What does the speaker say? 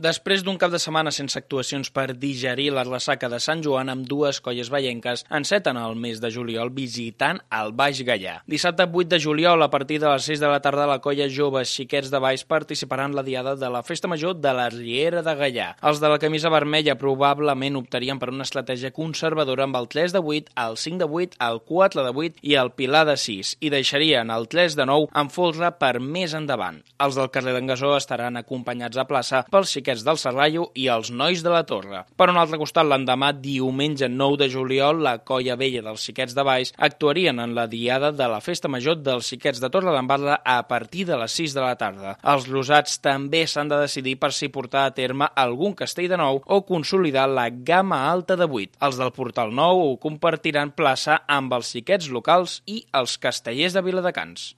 Després d'un cap de setmana sense actuacions per digerir la ressaca de Sant Joan, amb dues colles veienques enceten el mes de juliol visitant el Baix Gaià. Dissabte 8 de juliol, a partir de les 6 de la tarda, la colla Joves Xiquets de Baix participaran en la diada de la Festa Major de la Riera de Gaià. Els de la camisa vermella probablement optarien per una estratègia conservadora amb el 3 de 8, el 5 de 8, el 4 de 8 i el pilar de 6, i deixarien el 3 de 9 en folre per més endavant. Els del carrer d'en Gasó estaran acompanyats a plaça pels xiquets del Serrallo i els nois de la Torre. Per un altre costat, l'endemà, diumenge 9 de juliol, la colla vella dels xiquets de Baix actuarien en la diada de la Festa Major dels xiquets de Torredembarra a partir de les 6 de la tarda. Els rosats també s'han de decidir per si portar a terme algun castell de nou o consolidar la gamma alta de 8. Els del Portal Nou ho compartiran plaça amb els xiquets locals i els castellers de Viladecans.